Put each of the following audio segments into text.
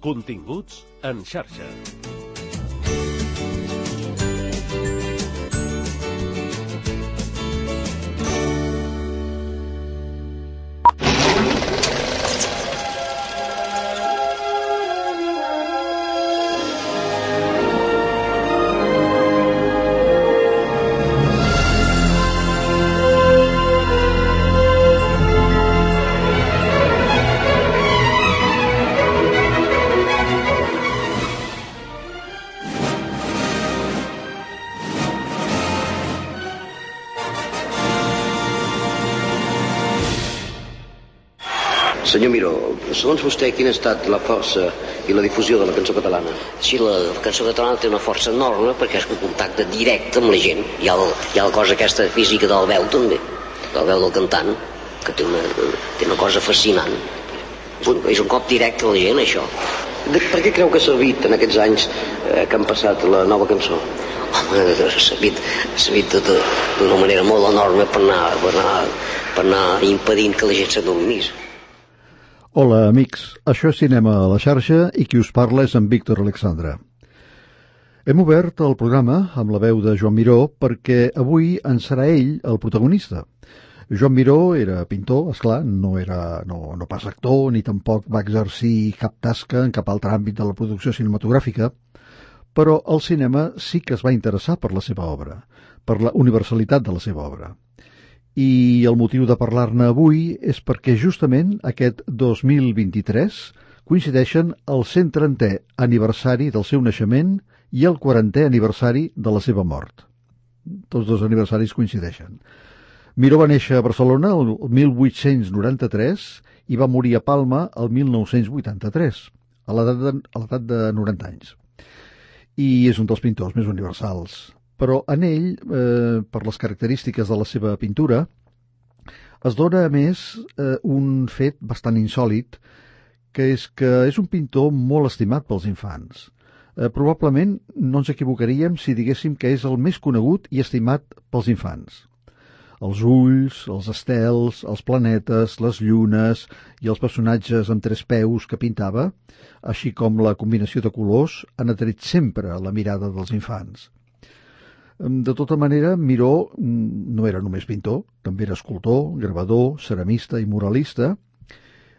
Continguts en xarxa. Senyor Miró, segons vostè, quina ha estat la força i la difusió de la cançó catalana? Sí, la cançó catalana té una força enorme perquè és un contacte directe amb la gent. Hi ha la cosa aquesta física del veu, també, del veu del cantant, que té una cosa fascinant. És un cop directe a la gent, això. Per què creu que ha servit en aquests anys que han passat la nova cançó? Home, ha servit d'una manera molt enorme per anar impedint que la gent s'adormís. Hola, amics. Això és Cinema a la xarxa i qui us parla és en Víctor Alexandre. Hem obert el programa amb la veu de Joan Miró perquè avui en serà ell el protagonista. Joan Miró era pintor, esclar, no pas actor, ni tampoc va exercir cap tasca en cap altre àmbit de la producció cinematogràfica, però el cinema sí que es va interessar per la seva obra, per la universalitat de la seva obra. I el motiu de parlar-ne avui és perquè justament aquest 2023 coincideixen el 130è aniversari del seu naixement i el 40è aniversari de la seva mort. Tots dos aniversaris coincideixen. Miró va néixer a Barcelona el 1893 i va morir a Palma el 1983, a l'edat de 90 anys. I és un dels pintors més universals. Però en ell, per les característiques de la seva pintura, es dona a més un fet bastant insòlit, que és un pintor molt estimat pels infants. Probablement no ens equivocaríem si diguéssim que és el més conegut i estimat pels infants. Els ulls, els estels, els planetes, les llunes i els personatges amb 3 peus que pintava, així com la combinació de colors, han atret sempre la mirada dels infants. De tota manera, Miró no era només pintor, també era escultor, gravador, ceramista i muralista.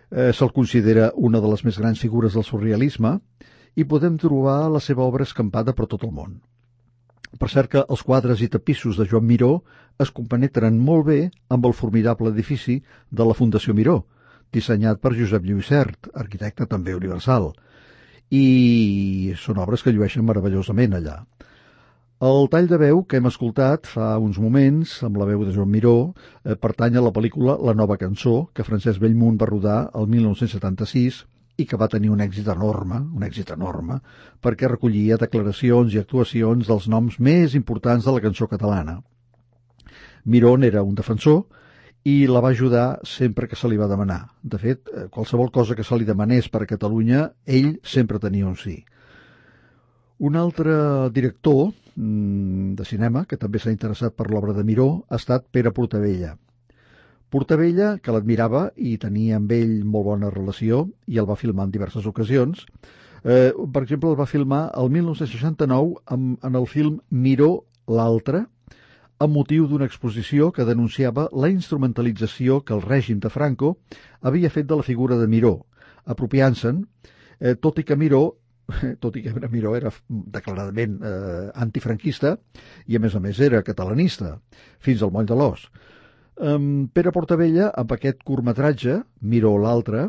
Se'l considera una de les més grans figures del surrealisme i podem trobar la seva obra escampada per tot el món. Per cert que els quadres i tapissos de Joan Miró es compenetren molt bé amb el formidable edifici de la Fundació Miró, dissenyat per Josep Lluís Sert, arquitecte també universal, i són obres que llueixen meravellosament allà. El tall de veu que hem escoltat fa uns moments, amb la veu de Joan Miró, pertany a la pel·lícula La nova cançó, que Francesc Bellmunt va rodar el 1976 i que va tenir un èxit enorme, perquè recollia declaracions i actuacions dels noms més importants de la cançó catalana. Miró n'era un defensor i la va ajudar sempre que se li va demanar. De fet, qualsevol cosa que se li demanés per a Catalunya, ell sempre tenia un sí. Un altre director de cinema que també s'ha interessat per l'obra de Miró ha estat Pere Portabella. Portabella, que l'admirava i tenia amb ell molt bona relació i el va filmar en diverses ocasions. Per exemple, el va filmar el 1969 en el film Miró l'altre, amb motiu d'una exposició que denunciava la instrumentalització que el règim de Franco havia fet de la figura de Miró, apropiant-se'n, tot i que Miró era declaradament antifranquista i a més era catalanista, fins al moll de l'os. Pere Portabella, amb aquest curtmetratge, Miró l'altre,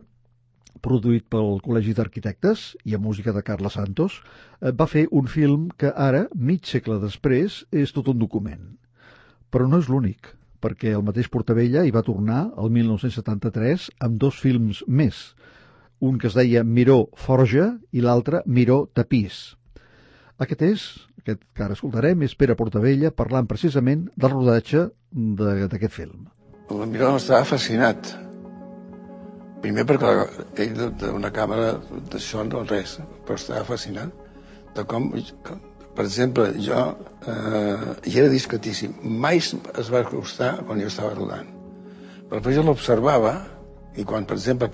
produït pel Col·legi d'Arquitectes i amb música de Carles Santos, va fer un film que ara, mig segle després, és tot un document. Però no és l'únic, perquè el mateix Portabella hi va tornar el 1973 amb 2 films més, un que es deia Miró Forja i l'altre Miró Tapís. Aquest que ara escoltarem és Pere Portabella parlant precisament del rodatge d'aquest film. El Miró estava fascinat. Primer perquè ell d'una càmera d'això no res, però estava fascinat de com, per exemple, jo hi era discretíssim. Mai es va acostar quan jo estava rodant. Però després jo l'observava I quan, per exemple,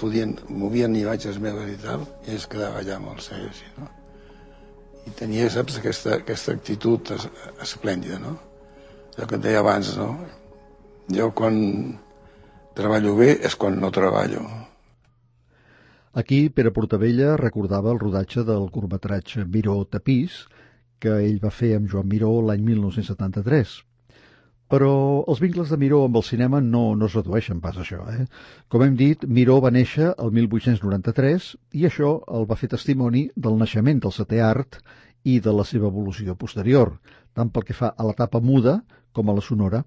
movien imatges meves i tal, ell es quedava allà amb el seu, així, no? I tenia, saps, aquesta actitud esplèndida, no? Allò que et deia abans, no? Jo quan treballo bé és quan no treballo. Aquí, Pere Portabella recordava el rodatge del curtmetratge Miró Tapís, que ell va fer amb Joan Miró l'any 1973. Però els vincles de Miró amb el cinema no es redueixen pas a això. Com hem dit, Miró va néixer el 1893 i això el va fer testimoni del naixement del setè art i de la seva evolució posterior, tant pel que fa a l'etapa muda com a la sonora,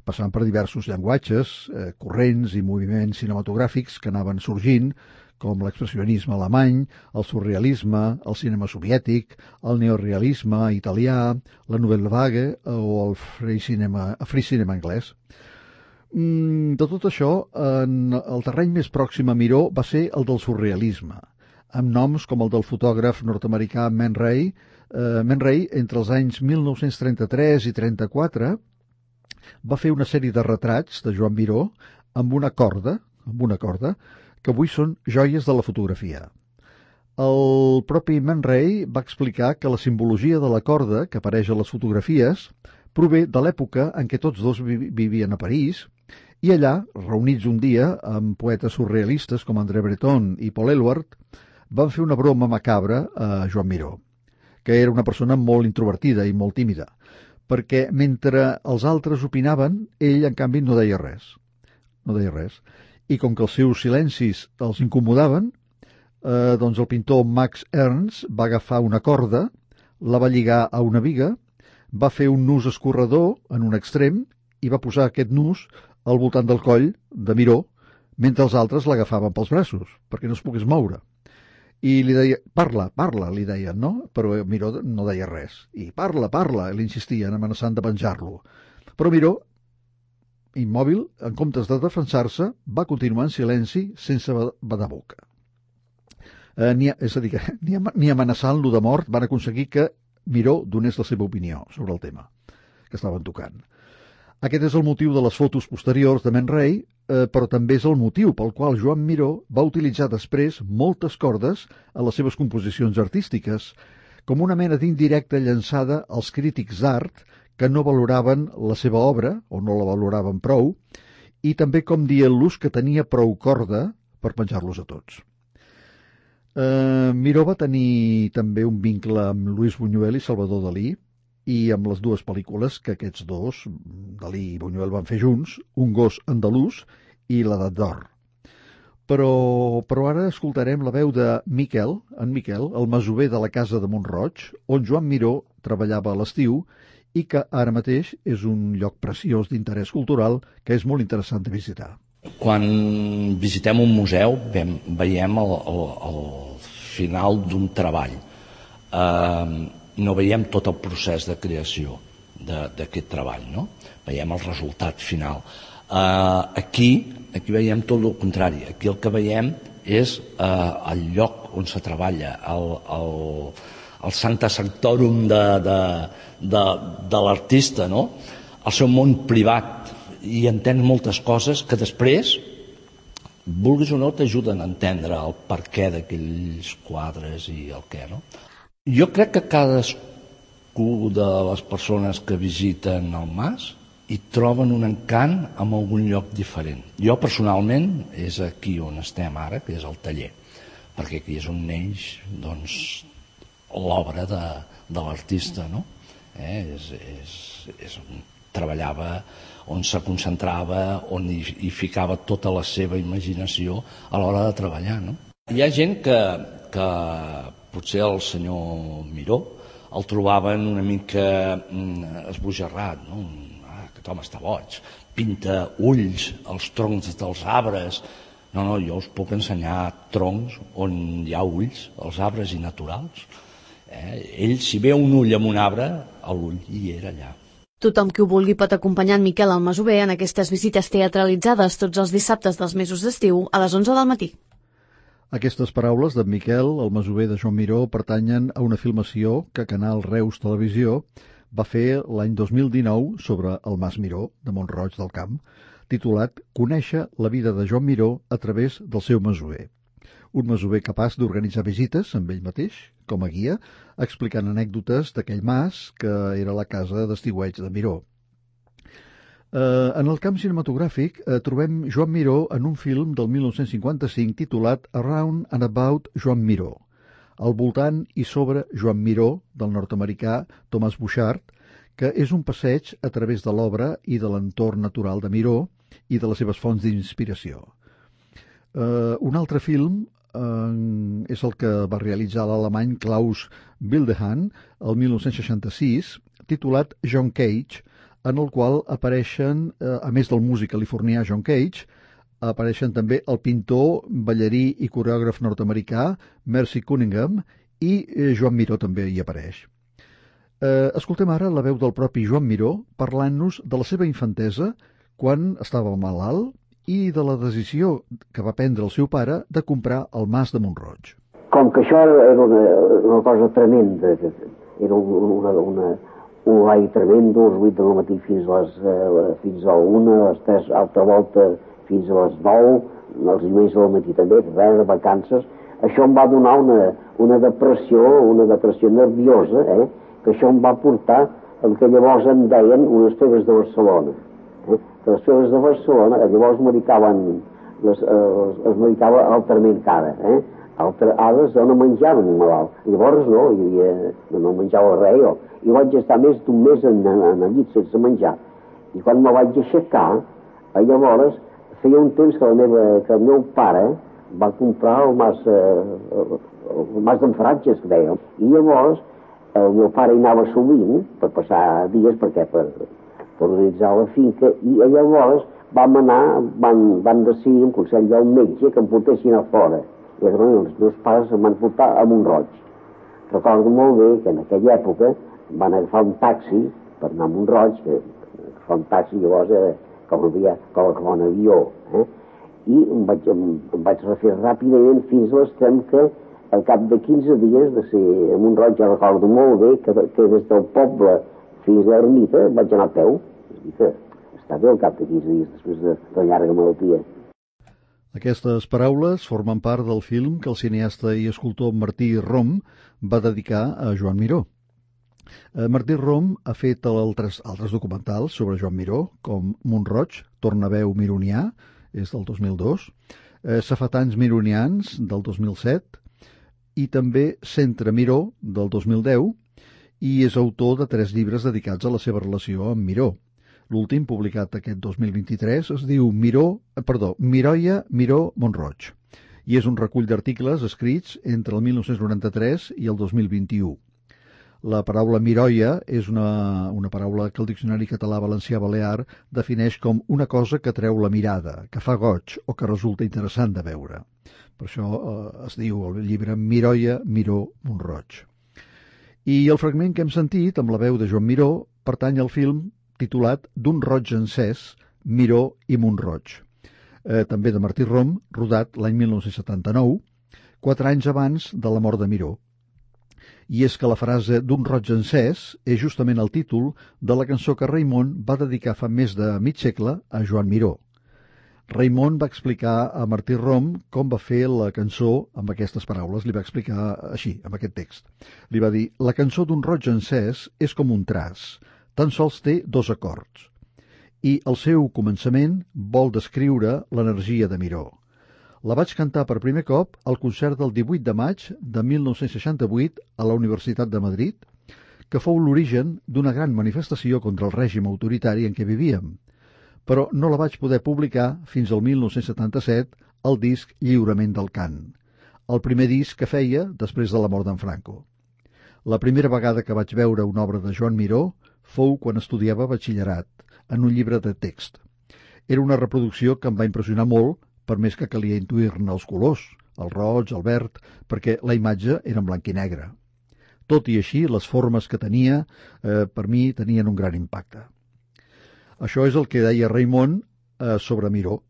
passant per diversos llenguatges, corrents i moviments cinematogràfics que anaven sorgint, com l'expressionisme alemany, el surrealisme, el cinema soviètic, el neorealisme italià, la nouvelle vague o el free cinema anglès. De tot això, el terreny més pròxim a Miró va ser el del surrealisme, amb noms com el del fotògraf nord-americà Man Ray. Man Ray, entre els anys 1933 i 1934, va fer una sèrie de retrats de Joan Miró amb una corda, que avui són joies de la fotografia. El propi Man Ray va explicar que la simbologia de la corda que apareix a les fotografies prové de l'època en què tots dos vivien a París i allà, reunits un dia amb poetes surrealistes com André Breton i Paul Eluard, van fer una broma macabra a Joan Miró, que era una persona molt introvertida i molt tímida, perquè mentre els altres opinaven, ell, en canvi, no deia res. I com que els seus silencis els incomodaven, doncs el pintor Max Ernst va agafar una corda, la va lligar a una viga, va fer un nus escorredor en un extrem i va posar aquest nus al voltant del coll de Miró, mentre els altres l'agafaven pels braços, perquè no es pogués moure. I li deia, parla, li deien, no? Però Miró no deia res. I parla, l'insistien, amenaçant de penjar-lo. Però Miró, immòbil, en comptes de defensar-se, va continuar en silenci sense badar boca. És a dir, que ni amenaçant-lo de mort van aconseguir que Miró donés la seva opinió sobre el tema que estaven tocant. Aquest és el motiu de les fotos posteriors de Man Ray, però també és el motiu pel qual Joan Miró va utilitzar després moltes cordes a les seves composicions artístiques, com una mena d'indirecta llançada als crítics d'art que no valoraven la seva obra, o no la valoraven prou, i també com dient-los que tenia prou corda per penjar-los a tots. Miró va tenir també un vincle amb Luis Buñuel i Salvador Dalí, i amb les dues pel·lícules que aquests dos, Dalí i Buñuel, van fer junts, Un gos andalús i L'edat d'or. Però ara escoltarem la veu de Miquel, el masover de la casa de Mont-roig, on Joan Miró treballava a l'estiu i que ara mateix és un lloc preciós d'interès cultural que és molt interessant de visitar. Quan visitem un museu veiem el final d'un treball. No veiem tot el procés de creació d'aquest treball, no? Veiem el resultat final. Aquí veiem tot el contrari. Aquí el que veiem és el lloc on se treballa, el sancta sanctorum de l'artista, no? El seu món privat, i entens moltes coses que després, vulguis o no, t'ajuden a entendre el perquè d'aquells quadres i el què, no? Jo crec que cadascú de les persones que visiten el mas hi troben un encant en algun lloc diferent. Jo personalment és aquí on estem ara, que és el taller, perquè aquí és on neix, doncs, l'obra de l'artista, no? És on treballava, on se concentrava, on hi ficava tota la seva imaginació a l'hora de treballar, no? Hi ha gent que potser el senyor Miró el trobaven una mica esbojarrat, no? Aquest home està boig, pinta ulls als troncs dels arbres. No, jo us puc ensenyar troncs on hi ha ulls, els arbres i naturals. Ell, si veu un ull en un arbre, l'ull hi era allà. Tothom qui ho vulgui pot acompanyar en Miquel al masover en aquestes visites teatralitzades tots els dissabtes dels mesos d'estiu a les 11 del matí. Aquestes paraules d'en Miquel, el masover de Joan Miró, pertanyen a una filmació que Canal Reus Televisió va fer l'any 2019 sobre el Mas Miró de Mont-roig del Camp. titulat Conèixer la vida de Joan Miró a través del seu masover. Un masover capaç d'organitzar visites amb ell mateix, com a guia, explicant anècdotes d'aquell mas que era la casa d'estiueig de Miró. En el camp cinematogràfic trobem Joan Miró en un film del 1955 titulat Around and About Joan Miró, al voltant i sobre Joan Miró, del nord-americà Thomas Bouchard, que és un passeig a través de l'obra i de l'entorn natural de Miró i de les seves fonts d'inspiració. Un altre film és el que va realitzar l'alemany Klaus Wildehan el 1966, titulat John Cage, en el qual apareixen, a més del músic californià John Cage, apareixen també el pintor, ballarí i coreògraf nord-americà Mercy Cunningham i Joan Miró també hi apareix. Escoltem ara la veu del propi Joan Miró parlant-nos de la seva infantesa quan estava malalt i de la decisió que va prendre el seu pare de comprar el mas de Mont-roig. Com que això era una cosa tremenda, era un horari tremendo, els 8 del matí fins a la 1, a les 3 altra volta fins a les 9, els diumenges del matí també, de vacances. Això em va donar una depressió nerviosa, que això em va portar el que llavors en deien unes febres de Barcelona. Que les febres de Barcelona llavors es medicava altrament cara. Altres no menjaven un malalt. Llavors no menjava res jo. I vaig estar més d'un mes en el llit sense menjar. I quan me vaig aixecar, llavors feia un temps que el meu pare va comprar el mas d'en Faratges, que dèiem. I llavors el meu pare hi anava sovint per passar dies per organitzar la finca, i llavors van decidir en consell del metge que em portessin a fora. I els meus pares em van portar a Mont-roig. Recordo molt bé que en aquella època van agafar un taxi per anar a Mont-roig, que agafar un taxi llavors era com un avió, i em vaig refer ràpidament fins a l'extrem que al cap de 15 dies de ser a Mont-roig, ja recordo molt bé que des del poble fins a l'ermita vaig anar a peu. I que està bé al cap de 15 dies després de la llarga malaltia. Aquestes paraules formen part del film que el cineasta i escultor Martí Rom va dedicar a Joan Miró. Martí Rom ha fet altres documentals sobre Joan Miró, com Mont-roig, Tornaveu Mironià, és del 2002, Safetans Mironians, del 2007, i també Centre Miró, del 2010, i és autor de 3 llibres dedicats a la seva relació amb Miró. L'últim, publicat aquest 2023, es diu Miroia, Miró, Mont-roig, i és un recull d'articles escrits entre el 1993 i el 2021. La paraula miroia és una paraula que el Diccionari Català-Valencià-Balear defineix com una cosa que treu la mirada, que fa goig o que resulta interessant de veure. Per això es diu el llibre Miroia, Miró, Mont-roig. I el fragment que hem sentit, amb la veu de Joan Miró, pertany al film titulat D'un roig encès, Miró i Mont-roig, també de Martí Rom, rodat l'any 1979, 4 anys abans de la mort de Miró. I és que la frase D'un roig encès és justament el títol de la cançó que Raimon va dedicar fa més de mig segle a Joan Miró. Raimon va explicar a Martí Rom com va fer la cançó amb aquestes paraules, li va explicar així, amb aquest text. Li va dir, la cançó D'un roig encès és com un traç, tan sols té 2 acords, i el seu començament vol descriure l'energia de Miró. La vaig cantar per primer cop al concert del 18 de maig de 1968 a la Universitat de Madrid, que fou l'origen d'una gran manifestació contra el règim autoritari en què vivíem, però no la vaig poder publicar fins al 1977 al disc Lliurament del cant, el primer disc que feia després de la mort d'en Franco. La primera vegada que vaig veure una obra de Joan Miró fou quan estudiava batxillerat, en un llibre de text. Era una reproducció que em va impressionar molt, per més que calia intuir-ne els colors, el roig, el verd, perquè la imatge era en blanc i negre. Tot i així, les formes que tenia, per mi, tenien un gran impacte. Això és el que deia Raimon sobre Miró.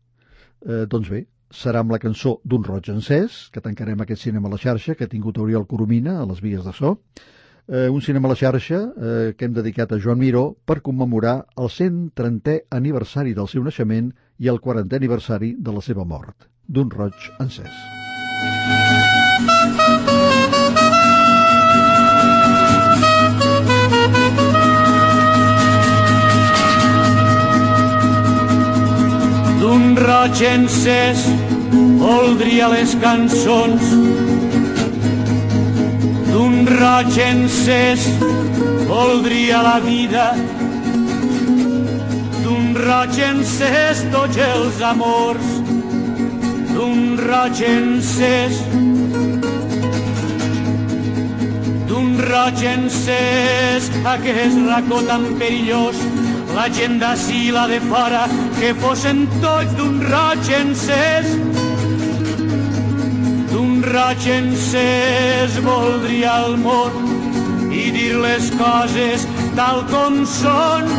Doncs bé, serà amb la cançó D'un roig encès, que tancarem aquest cinema a la xarxa, que ha tingut Oriol Coromina a les vies de so, un cinema a la xarxa que hem dedicat a Joan Miró per commemorar el 130è aniversari del seu naixement i el 40è aniversari de la seva mort, d'un roig encès. D'un roig encès voldria les cançons, d'un roig encès voldria la vida, d'un roig encès tots els amors, d'un roig encès, d'un roig encès aquest racó tan perillós, la gent d'ací i la de fora, que fossin tots d'un roig encès. D'un roig encès voldria el món i dir les coses tal com són.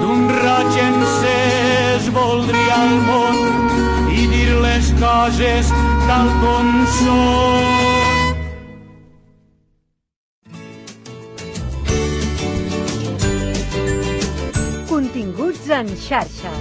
D'un roig encès voldria el món i dir les coses tal com són. Continguts en xarxa.